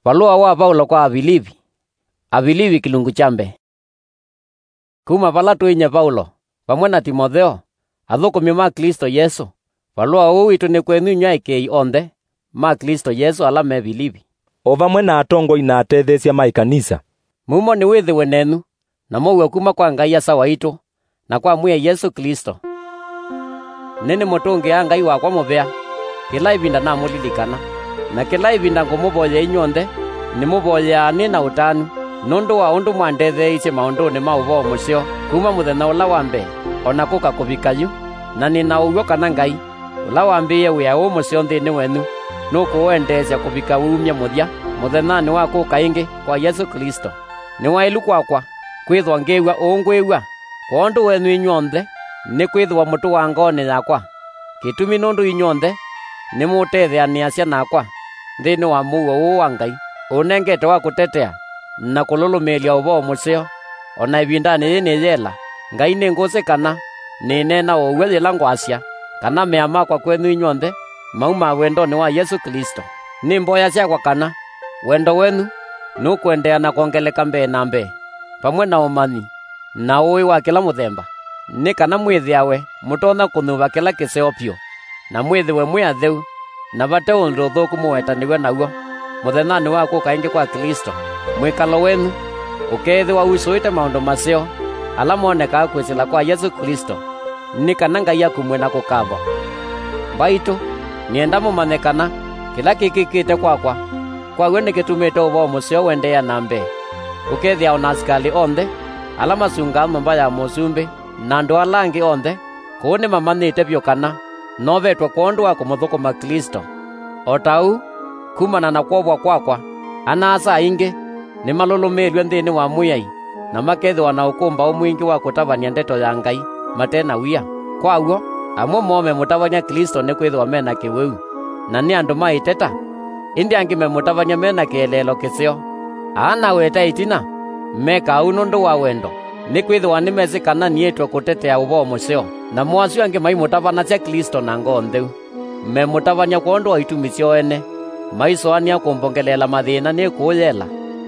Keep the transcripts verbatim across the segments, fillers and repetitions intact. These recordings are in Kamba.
Valũa wa Vaulo kwa Avilivi. Avilivi kĩlungu kya mbee. Kuma vala tũinyie Vaulo, vamwe na Timotheo, athũkũmi ma Klĩsto Yesũ, valũa ũũ witũ nĩ kwenyu inyw'ĩ aĩkĩĩi onthe ma Klĩsto Yesũ ala me Vilivi. O vamwe na atongoi na atetheesya ma ĩkanisa. Mumo nĩwĩthĩwe nenyu, na mũuo kuma kwa Ngai Asa waitũ, na kwa Mwĩai Yesũ Klĩsto. Nĩnĩmũtũngĩaa Ngai wakwa mũvea, kĩla ĩvinda namũlilikana. Na kĩla ĩvinda ngũmũvoyea inyw'onthe, nĩmũvoyeaa nĩ na ũtanu, nũndũ wa ũndũ mwandetheeisye maũndũnĩ ma ũvoo mũseo kuma mũthenya ũla wa mbee, o na kũka kũvika yu. Na nĩ na ũw'o kana Ngai, ũla wambĩĩe wĩa ũũ mũseo nthĩnĩ wenyu, nũkũũendeesya kũvika wumya mũthya mũthenyanĩ wa kũka ĩngĩ kwa Yesũ Klĩsto. Nĩ waĩlu kwakwa kwĩthwa ngĩw'a ũũ ngwĩw'a kwondũ wenyu inyw'onthe, nĩkwĩthĩwa mũtũaa ngoonĩ yakwa. Kĩtumi nũndũ inyw'onthe nĩmũtetheanĩasya nakwa nthĩnĩ wa mũuo ũũ wa Ngai ũnengete wa kũtetea na kũlũlũmĩĩlya ũvoo mũseo. O na ĩvindanĩ yĩĩ nĩyela, Ngai nĩ ngũsĩ kana nĩneena ũw'o yĩla ngwasya kana mea makwa kwenyu inyw'onthe maumaa wendonĩ wa Yesũ Klĩsto. Nĩ mboya syakwa kana wendo wenyu nũkũendeea na kwongeleka mbee na mbee, vamwe na ũmanyi na ũĩ wa kĩla mũthemba, nĩ kana mwĩthĩawe mũtonya kũnyuva kĩla kĩseo vyũ, na mwĩthĩwe mwĩ atheu, na vate ũndũ ũthũku mũwetanĩw'e naw'o mũthenyanĩ wa kũka ĩngĩ kwa Klĩsto. Mwĩkalo wenyu ũkeethĩwa usũĩte maũndũ maseo ala monekaa kwĩsĩla kwa Yesũ Klĩsto, nĩ kana Ngai akumw'e na kũkavwa. Mbaitũ, nĩenda mũmanye kana kĩla kĩkĩkĩte kwakwa, kwa w'o nĩkĩtumĩte ũvoo mũseo ũendeea na mbee, ũkethĩa o na asikalĩ onthe ala masungaa nyũmba ya mũsumbĩ na andũ ala angĩ onthe kũu nĩmamanyĩte vyũ kana novetwe kwondũ wa kũmũthũkũma Klĩsto. O ta ũu, kumana na kwovwa kwakwa, ana-a-asa aingĩ nĩmalũlũmĩĩlw'e nthĩnĩ wa Mwĩai, na makethĩwa na ũkũmbaũ mwingĩ wa kũtavany'a ndeto ya Ngai mate na wia. Kwa w'o, amwe moo memũtavany'a Klĩsto nĩkwĩthĩwa me na kĩwĩu, na nĩ andũ ma ĩteta, ĩndĩ angĩ memũtavany'a me na kĩeleelo kĩseo. Aa naweta ĩtina, mekaa ũu nũndũ wa wendo, nĩkwĩthĩwa nĩmesĩ kana niĩtwe kũtetea ũvoo mũseo. Namo asu angĩ maimũtavanasya Klĩsto na ngoo ntheu. Memũtavany'a kwondũ wa itumi syoo ene, maisũanĩa kũmbongeleela mathĩna nĩkũũ yela.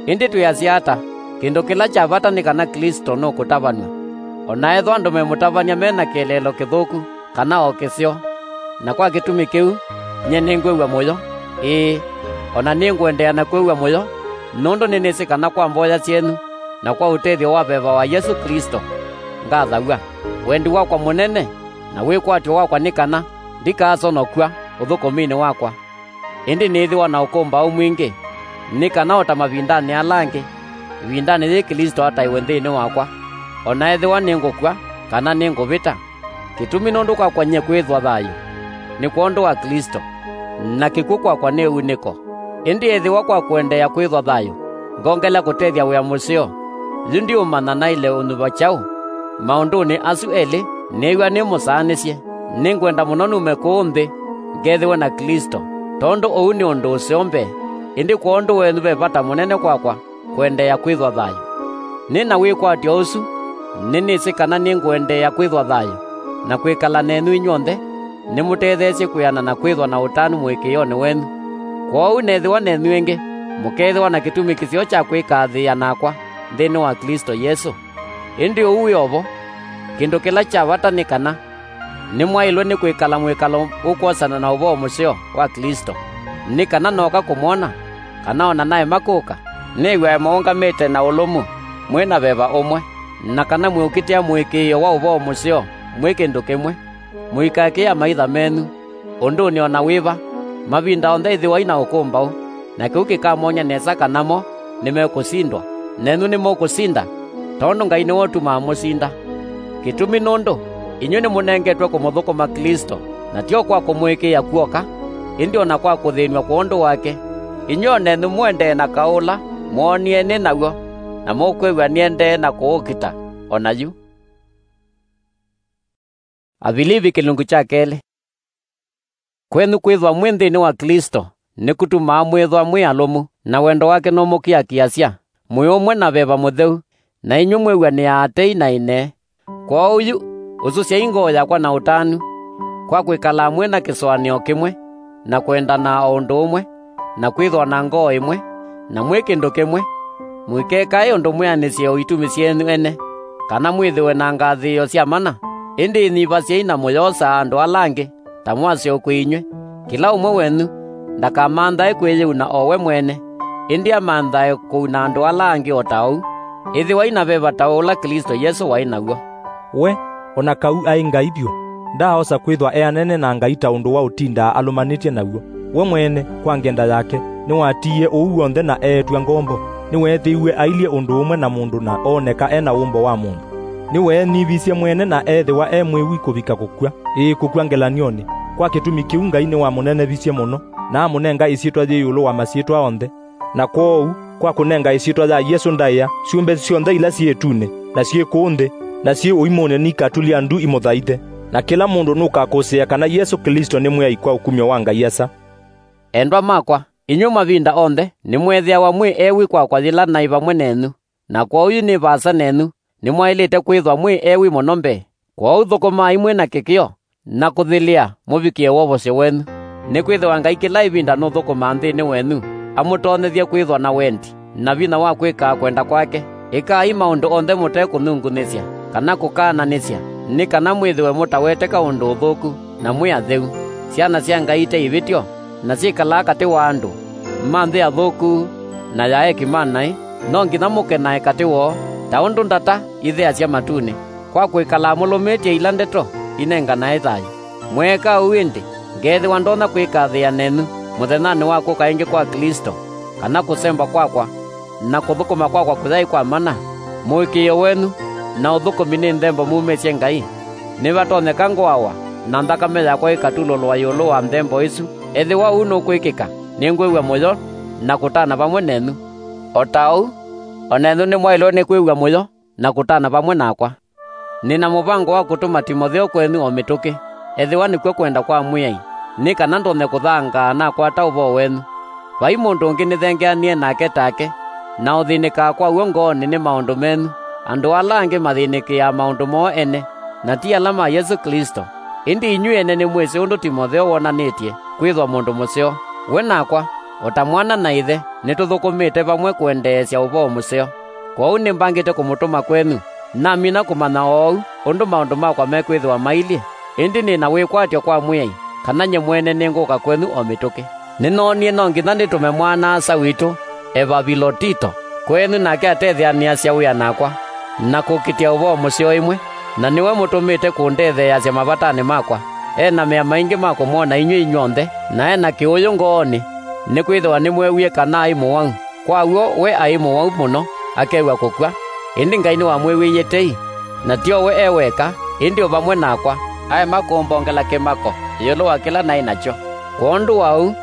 Ĩndĩ twĩasya ata? Kĩndũ kĩla kya vata nĩ kana Klĩsto nũkũtavanw'a. O na ethĩwa andũ memũtavany'a me na kĩeleelo kĩthũku kana o kĩseo, na kwa kĩtumi kĩu, nyie nĩngwĩw'a mũyo, ĩĩ, o na nĩngũendeea na kwĩw'a mũyo, nũndũ nĩnĩsĩ kana kwa mboya syenyu na kwa ũtethyo wa veva wa Yesũ Klĩsto ngathaw'a. Wendi wakwa mũnene na wĩkwatyo wakwa nĩ kana ndikaasonokw'a ũthũkũminĩ wakwa, ĩndĩ nĩĩthĩwa na ũkũmbaũ mwingĩ, nĩ kana o ta mavindanĩ ala angĩ, ĩvindanĩ yĩĩ Klĩsto ataĩwe nthĩnĩ wakwa, o na ethĩwa nĩngũkw'a kana nĩngũvĩta. Kĩtumi nũndũ kwakwa nyie kwĩthwa thayũ nĩ kwondũ wa Klĩsto, na kĩkw'ũ kwakwa nĩ unĩko. Ĩndĩ ethĩwa kwa kũendeea kwĩthwa thayũ ngongelea kũtethya wĩa mũseo, yu ndiũmanya naĩle ũnyuva kyaũ? Maũndũnĩ asu elĩ nĩĩw'a nĩmũsaanĩsye. Nĩngwenda mũno nume kũũ nthĩ ngethĩwe na Klĩsto, tondũ ũu nĩ ũndũ ũseo mbee, ĩndĩ kwondũ wenyu ve vata mũnene kwakwa kũendeea kwĩthwa thayũ. Nĩ na wĩkwatyo ũsu, nĩnĩsĩ kana nĩngũendeea kwĩthwa thayũ na kwĩkala nenyu inyw'onthe, nĩmũtetheesye kwĩana na kwĩthwa na ũtanu mũĩkĩĩonĩ wenyu. Kwoou nethĩwa nenyu ĩngĩ, mũkeethĩwa na kĩtumi kĩseo kya kwĩkaathĩĩa nakwa nthĩnĩ wa Klĩsto Yesũ. Ĩndĩ ũu wĩ o vo, kĩndũ kĩla kya vata nĩ kana nĩmwaĩlwe nĩ kwĩkala mwĩkalo ũkwosana na ũvoo mũseo wa Klĩsto, nĩ kana nooka kũmwona, kana o na naema kũka, nĩw'ae mũũngamĩte na ũlũmu, mwĩ na veva ũmwe, na kana mwĩũkitĩa mũĩkĩĩo wa ũvoo mũseo mwĩ kĩndũ kĩmwe. Mũikakĩe amaitha menyu ũndũnĩ o na wĩva, mavinda onthe ĩthĩwai na ũkũmbaũ, na kĩu kĩkamony'a nesa kana mo nĩmekũsindwa, nenyu nĩmũkũsinda, tondũ Ngai nĩwe ũtumaa mũsinda. Kĩtumi nũndũ inyw'ĩ nĩmũnengetwe kũmũthũkũma Klĩsto, na ti o kwa kũmũĩkĩĩa kw'oka, ĩndĩ o na kwa kũthĩnw'a kwondũ wake. Inyw'ĩ o nenyu mũendee na kaũ ũla mwoonie nĩ naw'o, na mũkwĩw'a nĩendee na kũũkita o na yu. Avilivi kĩlungu kya kelĩ. Kwenyu kwĩthwa mwĩ nthĩnĩ wa Klĩsto nĩkũtumaa mwĩthwa mwĩ alũmu, na wendo wake nũmũkiakiasya, mwĩ ũmwe na veva mũtheu, na inyw'ĩ mwĩw'anĩaa tei na ĩnee. Kwoou yu, ũsũsyai ngoo yakwa na ũtanu, kwa kwĩkala amwe na kĩsũanĩo kĩmwe, na kwendana o ũndũ ũmwe, na kwĩthwa na ngoo ĩmwe, na mwĩ kĩndũ kĩmwe. Mũikekae ũndũ mwĩanĩsye o itumi syenyu ene, kana mwĩthĩwe na ngathĩĩo sya mana, ĩndĩ ĩnyivasyei na mũyoosaa andũ ala angĩ ta mwaseo kwĩ inyw'ĩ. Kĩla ũmwe wenyu ndakamanthae kwĩyĩuna o we mwene, ĩndĩ amanthae kũuna andũ ala angĩ o ta ũu. Ĩthĩwai na veva ta ũla Klĩsto Yesũ waĩ naw'o. We, o na kau aĩ Ngai vyũ, ndaaosa kwĩthwa eanene na Ngai ta ũndũ wa ũtindaa alũmanĩtye naw'o. We mwene, kwa ngenda yake, nĩwatiie ũu w'onthe na eetw'a ngombo. Nĩweethĩiwe ailyĩ ũndũ ũmwe na mũndũ na ooneka e na wũmbo wa mũndũ. Nĩweenyivisye mwene na eethĩwa e mwĩwi kũvika kũkw'a, ĩĩ, kũkw'a ngelany'onĩ, kwa kĩtumi kĩu Ngai nĩwamũnenevisye mũno, na amũnenga ĩsyĩtwa yĩ ĩũlũ wa masyĩtwa onthe. Na kwoou, kwa kũnenga ĩsyĩtwa ya Yesũ ndaĩa syũmbe syonthe ila syĩ ĩtunĩ, na syĩ kũũ nthĩ, na syĩ ũimũnĩ, nikatulya ndu imũthaithe. Na kĩla mũndũ nũkakũsĩĩa kana Yesũ Klĩsto nĩ Mwĩai kwa ũkumyo wa Ngai Asa. Endwa makwa, inyw'ĩ mavinda onthe nĩmweethĩawa mwĩ ewi kwakwa yĩla naĩ vamwe nenyu, na kwoou yu nĩ vaasa nenyu, nĩmwaĩlĩte kwĩthwa mwĩ ewi mũno mbee. Kwoou thũkũmaai mwĩ na kĩkĩo, na kũthilĩa mũvikĩe wovosyo wenyu. Nĩkwĩthĩwa Ngai kĩla ĩvinda nũthũkũmaa nthĩnĩ wenyu, amũtonyethye kwĩthwa na wendi, na vinya wa kwĩkaa kwenda kwake. Ĩkai maũndũ onthe mũtekũnyungunĩsya, kana kũkaananĩsya, nĩ kana mwĩthĩwe mũtaweteka ũndũ ũthũku, na mwĩ atheu, syana sya Ngai ite ivĩtyo, na syĩkalaa katĩ wa andũ ma nthĩ athũku na ya eki ma naĩ. No nginya mũkenae katĩ woo, ta ũndũ ndata itheasya matunĩ, kwa kwĩkalaa mũlũmĩtye ila ndeto inenganae thayũ. Mweeka ũu ĩndĩ, ngeethĩwa ndonya kwĩkathĩĩa nenyu mũthenyanĩ wa kũka ĩngĩ kwa Klĩsto, kana kũsemba kwakwa, na kũthũkũma kwakwa kũyaĩ kwa mana. Mũĩkĩĩo wenyu na ũthũkũmi nĩ nthembo mumĩsye Ngai. Nĩvatonyeka ngũawa, na nthakame yakwa ĩkatulũlwa ĩũlũ wa nthembo ĩsu. Ethĩwa ũu nũkwĩkĩka, nĩngwĩw'a mũyo na kũtana vamwe nenyu. O ta ũu, o nenyu nĩmwaĩlwe nĩ kwĩw'a mũyo na kũtana vamwe nakwa. Nĩ na mũvango wa kũtũma Timotheo kwenyu o mĩtũkĩ, ethĩwa nĩkw'o kwenda kwa Mwĩai, nĩ kana ndonye kũthangaa nakwata ũvoo wenyu. Vai mũndũ ũngĩ nĩthengeanie nake take, na ũthĩnĩkaa kwa w'o ngoonĩ nĩ maũndũ menyu, andũ ala angĩ mathĩnĩkĩaa maũndũ moo ene, na ti ala ma Yesũ Klĩsto. Ĩndĩ inyw'ĩ ene nĩmwĩsĩ ũndũ Timotheo wonanĩtye kwĩthwa mũndũ mũseo. We nakwa, o ta mwana na ĩthe, nĩtũthũkũmĩte vamwe kũendeesya ũvoo mũseo. Kwoou nĩmbangĩte kũmũtũma kwenyu, namina kũmanya oou ũndũ maũndũ makwa mekwĩthĩwa mailyĩ, ĩndĩ nĩ na wĩkwatyo kwa Mwĩai, kana nyie mwene nĩngũka kwenyu o mĩtũkĩ. Nĩnoonie no nginya nĩtũme mwana-a-asa witũ Evavilotito kwenyu, nake atetheanĩasya wĩa nakwa, na kũkitĩa ũvoo mũseo ĩmwe, na nĩwe mũtũmĩte kũndetheeasya mavatanĩ makwa. E na mea maingĩ ma kũmwona inyw'ĩ inyw'onthe, na e na kĩũyũ ngoonĩ, nĩkwĩthĩwa nĩmweewie kana aĩ mũwau. Kwa w'o we aĩ mũwau mũno, akew'a kũkw'a, ĩndĩ Ngai nĩwamwĩw'ĩie tei, na ti o we e weka, ĩndĩ o vamwe nakwa, aema kũmbongela kĩmako ĩũlũ wa kĩla naĩ nakyo. Kwondũ wa ũu,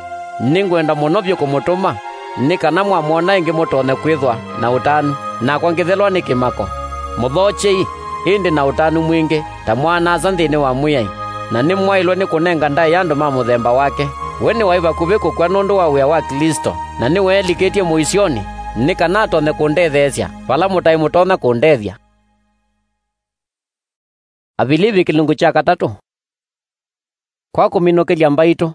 nĩngwenda mũno vyũ kũmũtũma, nĩ kana mwamwona ĩngĩ mũtonye kwĩthwa na ũtanu, nakwa ngĩthelwa nĩ kĩmako. Mũthookyei, ĩndĩ na ũtanu mwingĩ, ta mwana-a-asa nthĩnĩ wa Mwĩai, na nĩmwaĩlwe nĩ kũnenga ndaĩa andũ ma mũthemba wake. We nĩwaĩ vakuvĩ kũkw'a nũndũ wa wĩa wa Klĩsto, na nĩweelikĩtye mũisyonĩ, nĩ kana atonye kũndetheesya vala mũtaĩ mũtonya kũndethya. Avilivi kĩlungu kya katatũ. Kwa kũminũkĩlya mbaitũ,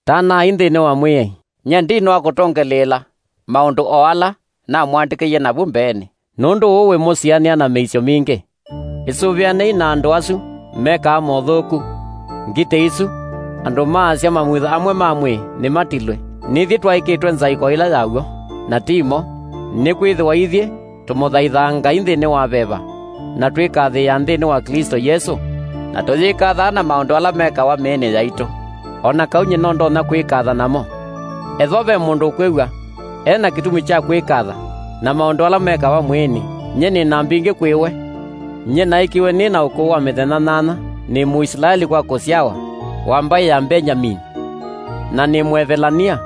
tanai nthĩnĩ wa Mwĩai. Nyie ndinũa kũtongeleela maũndũ o ala namwandĩkĩie navu mbeenĩ, nũndũ ũũ wĩmũsianĩa na mĩisyo mingĩ. Ĩsũvĩanei na andũ asu mekaa mothũku. Ngitĩ isu, andũ maasya mamutha amwe ma mwĩĩ nĩmatilwe. Nithyĩ twaĩkĩtwe nzaĩko ĩla ya w'o, na ti mo, nĩkwĩthĩwa ithyĩ tũmũthaithaa Ngai nthĩnĩ wa veva, na twĩkathĩĩa nthĩnĩ wa Klĩsto Yesũ, na tũyĩkathaa na maũndũ ala mekawa mĩĩnĩ yaitũ, o na kau nyie no ndonya kwĩkatha namo. Ethĩwa ve mũndũ ũkwĩw'a e na kĩtumi kya kwĩkatha na maũndũ ala mekawa mwĩĩnĩ, nyie nĩ na mbingĩ kwĩ we. Nyie naĩkiwe nĩ na ũkũũ wa mĩthenya nyanya, nĩ Mũisilaeli kwa kũsyawa, wa mbaĩ ya Mbengyamini, na nĩ Mũevelania,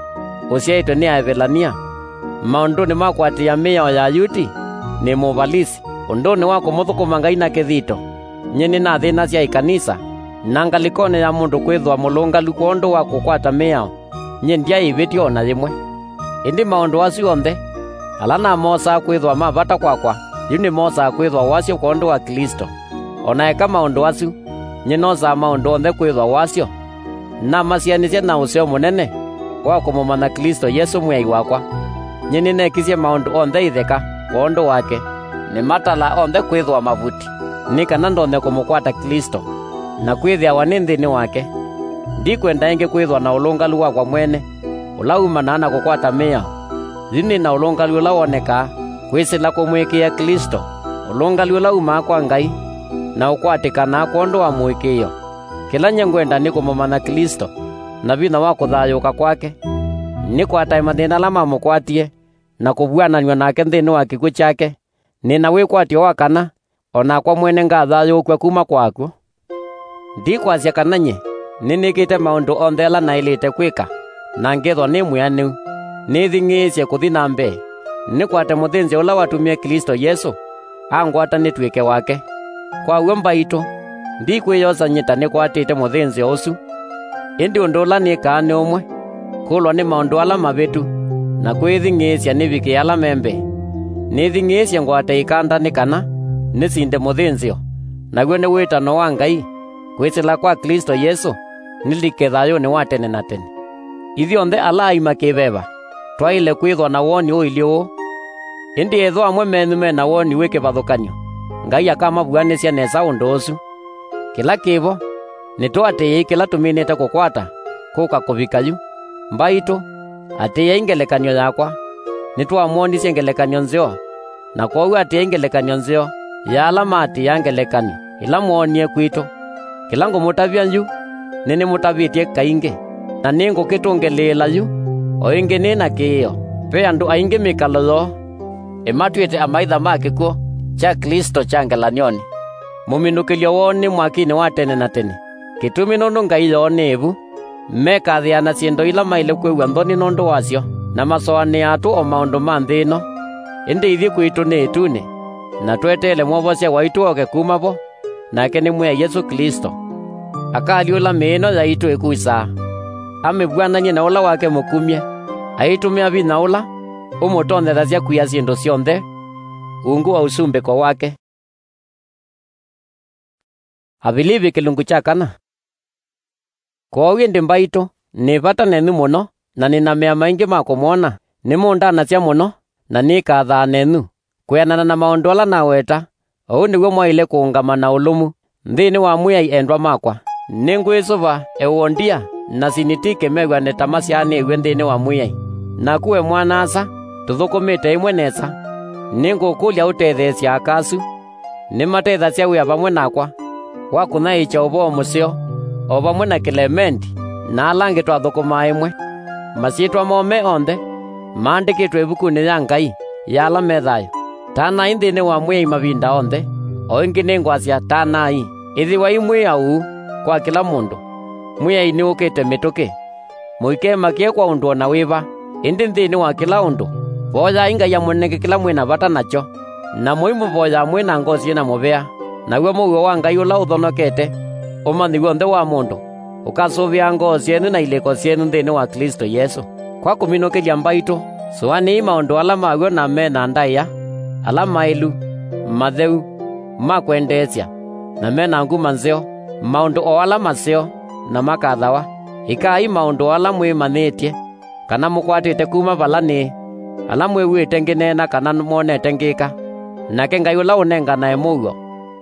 ũsyaĩtwe nĩ Aevelania. Maũndũnĩ ma kũatĩĩa mĩao ya Ayuti, nĩ Mũvalisi. Ũndũnĩ wa kũmũthũkũma Ngai na kĩthito, nyie nĩnathĩnasya ĩkanisa, na ngalĩkonĩ ya mũndũ kwĩthwa mũlũngalu kwondũ wa kũkwata mĩao, nyie ndyaĩ ĩvĩtyo o na yĩmwe. Ĩndĩ maũndũ asu onthe, ala namosaa kwĩthwa ma vata kwakwa, yu nĩmosaa kwĩthwa wasyo kwondũ wa Klĩsto. O na eka maũndũ asu, nyie nosaa maũndũ onthe kwĩthwa wasyo, namasianĩsya na ũseo mũnene wa kũmũmanya Klĩsto Yesũ Mwĩai wakwa. Nyie nĩnekisye maũndũ onthe itheka kwondũ wake, nĩmatala onthe kwĩthĩwa mavuti, nĩ kana ndonye kũmũkwata Klĩsto, na kwĩthĩawa nĩ nthĩnĩ wake. Ndikwenda ĩngĩ kwĩthĩwa na ũlũngalu wakwa mwene, ũla umanaa na kũkwata mĩao. Yu nĩ na ũlũngalu ũla wonekaa kwĩsĩla kũmũĩkĩĩa Klĩsto, ũlũngalu ũla umaa kwa Ngai, na ũkwatĩkanaa kwondũ wa mũĩkĩĩo. Kĩla nyie ngwenda nĩ kũmũmanya Klĩsto, na vinya wa kũthayũũka kwake, nĩkwatae mathĩna ala mamũkwatie, na kũvuananw'a nake nthĩnĩ wa kĩkw'ũ kyake, nĩ na wĩkwatyo wa kana o nakwa mwene ngathayũũkw'a kuma kwa akw'ũ. Ndikwasya kana nyie nĩnĩkĩte maũndũ onthe ala naĩlĩte kwĩka, na ngethwa nĩ mwĩanĩu, nĩthing'ĩĩsye kũthi na mbee, nĩkwate mũthĩnzĩo ũla watumie Klĩsto Yesũ angwata nĩtw'ĩke wake. Kwa w'o mbaitũ, ndikwĩyosa nyie ta nĩkwatĩte mũthĩnzĩo ũsu. Ĩndĩ ũndũ ũla nĩkaa nĩ ũmwe: kũlwa nĩ maũndũ ala mavĩtu, na kwĩthing'ĩĩsya nĩvikĩe ala me mbee. Nĩthing'ĩĩsye ngwate ĩkanda nĩ kana nĩsinde mũthĩnzĩo, naw'o nĩ wĩtano wa Ngai, kwĩsĩla kwa Klĩsto Yesũ nĩlike thayũnĩ wa tene na tene. Ithyonthe ala aima kĩ-veva twaĩle kwĩthwa na woni ũilyĩ ũũ. Ĩndĩ ethĩwa amwe menyu me na woni wĩ kĩvathũkany'o, Ngai akamavuanĩsya nesa ũndũ ũsu. Kĩla kĩ vo, nĩtũatĩĩei kĩla tũminĩte kũkwata kũka kũvika yu. Mbaitũ, atĩĩai ngelekany'o yakwa. Nĩtwamwonisye ngelekany'o nzeo, na kwoou atĩĩai ngelekany'o nzeo ya ala maatĩĩa ngelekany'o ĩla mwoonie kwitũ. Kĩla ngũmũtavya yu, nĩnĩmũtavĩtye kaingĩ, na nĩngũkĩtũngĩlĩĩla yu o ĩngĩ nĩ na kĩĩo. Ve andũ aingĩ mĩkalo yoo ĩmatw'ĩte amaitha ma kĩkw'ũ kya Klĩsto kya ngelany'onĩ, mũminũkĩlyo woo nĩ mwakinĩ wa tene na tene. Kĩtumi nũndũ ngai yoo nĩ ĩvu, mekathĩana syĩndũ ila maĩle kwĩw'a nthoni nũndũ wasyo, na masũanĩaa tũ o maũndũ ma nthĩ ĩno. Ĩndĩ ithyĩ kwitũ nĩ ĩtunĩ, na tweteele Mwovosya waitũ ooke kuma vo, nake nĩ Mwĩai Yesũ Klĩsto. Akalyũla mĩĩ ĩno yaitũ ĩkusaa, amĩvw'anany'e na ũla wake mũkumye, aitũmĩa vinya ũla ũmũtonyethasya kwia syĩndũ syonthe ungu wa ũsumbĩko wake. Avilivi kĩlungu kya kana. Kwoou ĩndĩ mbaitũ, nĩ vata nenyu mũno, na nĩ na mea maingĩ ma kũmwona, nĩmũndanasya mũno, na nĩkathaa nenyu. Kwĩanana na maũndũ ala naweta, ũu nĩw'o mwaĩle kũũngama na ũlũmu nthĩnĩ wa Mwĩai, endwa makwa. Nĩngwĩsũva Euodia na Sinitike mew'ane ta masyaanĩw'e nthĩnĩ wa Mwĩai. Naku we mwana-a-asa, tũthũkũmĩte ĩmwe nesa. Nĩngũkũlya ũtetheesye aka asu. Nĩmatethasya wĩa vamwe nakwa wa kũnyaĩĩkya ũvoo mũseo, o vamwe na Kĩlemendi na ala angĩ twathũkũmaa ĩmwe. Masyĩtwa moo me onthe maandĩkĩtwe ĩvukunĩ ya Ngai ya ala me thayũ. Tanai nthĩnĩ wa Mwĩai mavinda onthe. O ĩngĩ nĩngwasya, tanai. Ĩthĩwai mwĩ auu kwa kĩla mũndũ. Mwĩai nĩũkĩte mĩtũkĩ. Mũikemakĩe kwa ũndũ o na wĩva, ĩndĩ nthĩnĩ wa kĩla ũndũ, voyai Ngai amũnenge kĩla mwĩ na vata nakyo, na mũimũvoyaa mwĩ na ngoo syĩ na mũvea, naw'o mũuo wa Ngai ũla ũthonokete ũmanyĩw'e onthe wa mũndũ ũkasũvĩaa ngoo syenyu na ilĩko syenyu nthĩnĩ wa Klĩsto Yesũ. Kwa kũminũkĩlya mbaitũ, sũanĩai maũndũ ala ma w'o na me na ndaĩa, ala maĩlu, matheu, ma kwendeesya, na me na nguma nzeo, maũndũ o ala maseo na makathawa. Ĩkai maũndũ o ala mwĩmanyĩĩtye kana mũkwatĩte kuma vala nĩĩ, ala mwĩw'ĩte ngĩneena kana mwonete ngĩka. Nake Ngai ũla ũnenganae mũuo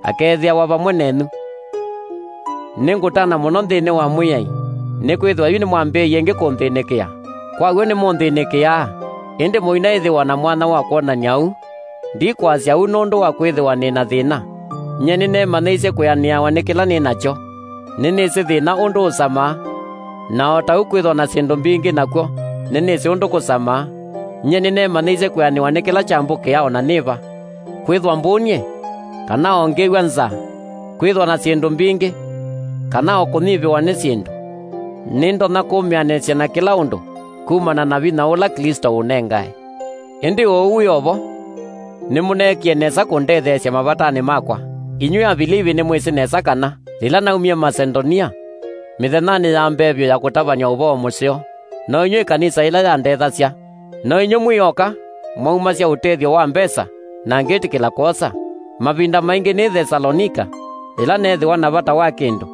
akeethĩawa vamwe nenyu. Nĩngũtana mũno nthĩnĩ wa Mwĩai, nĩkwĩthĩwa yu nĩmwambĩĩie ĩngĩ kũnthĩnĩkĩa. Kwa w'o nĩmũnthĩnĩkĩaa, ĩndĩ mũinaĩthĩwa na mwanya wa kwonany'a ũu. Ndikwasya ũu nũndũ wa kwĩthĩwa nĩ na thĩna. Nyie nĩneemanyĩisye kwĩanĩawa nĩ kĩla nĩ nakyo. Nĩnĩsĩ thĩna ũndũ ũsamaa, na o ta ũu kwĩthwa na syĩndũ mbingĩ nakw'o nĩnĩsĩ ũndũ kũsamaa. Nyie nĩneemanyĩisye kwĩanĩwa nĩ kĩla kyambũkĩaa o na nĩ va, kwĩthwa mbũnie, kana o ngĩw'a nzaa, kwĩthwa na syĩndũ mbingĩ, kana o kũnyivĩwa nĩ syĩndũ. Nĩndonya kũmĩanĩsya na kĩla ũndũ kumana na vinya ũla Klĩsto ũnengae. Ĩndĩ ũu wĩ o vo, nĩmũneekie nesa kũndetheesya mavatanĩ makwa. Inyw'ĩ Avilivi nĩmwĩsĩ nesa kana yĩla naumie Masedonia, mĩthenyanĩ ya mbee vyũ ya kũtavany'a ũvoo mũseo, no inyw'ĩ ĩkanisa ĩla yandethasya. No inyw'ĩ mwĩ oka mwaumasya ũtethyo wa mbesa, na ngĩtĩkĩla kwosa. Mavinda maingĩ nĩ Thesalonika, yĩla neethĩwa na vata wa kĩndũ,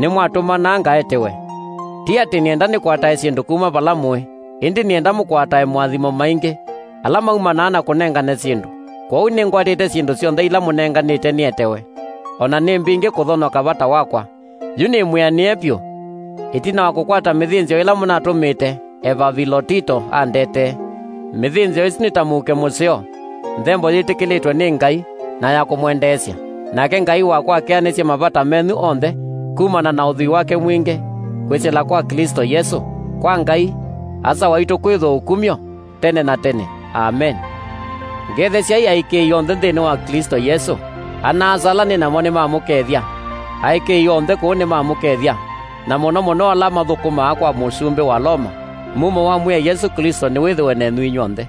nĩmwatũmanaa ngaetewe. Ti atĩ nĩenda nĩkwatae syĩndũ kuma vala mũĩ, ĩndĩ nĩenda mũkwatae moathimo maingĩ, ala maumanaa na kũnengane syĩndũ. Kwoou nĩngwatĩte syĩndũ syonthe ila mũnenganĩte nĩetewe, o na nĩ mbingĩ kũthonoka vata wakwa. Yu nĩmwĩanĩe vyũ, ĩtina wa kũkwata mĩthĩnzĩo ĩla mũnatũmĩte Evavilotito andetee. Mĩthĩnzĩo ĩsu nĩ ta mũuke mũseo, nthembo yĩtĩkĩlĩtwe nĩ Ngai na ya kũmwendeesya. Nake Ngai wakwa akeanĩsye mavata menyu onthe kumana na ũthwii wake mwingĩ kwĩsĩla kwa Klĩsto Yesũ. Kwa Ngai, Asa waitũ kwĩthwa ũkumyo tene na tene. Amen. Ngethesyai aĩkĩĩi onthe nthĩnĩ wa Klĩsto Yesũ. Ana-a-asa ala nĩ namo nĩmamũkethya. Aĩkĩĩi onthe kũu nĩmamũkethya, na mũno mũno ala mathũkũmaa kwa mũsumbĩ wa Loma. Mumo wa Mwĩai Yesũ Klĩsto nĩwĩthĩwe nenyu inyw'onthe.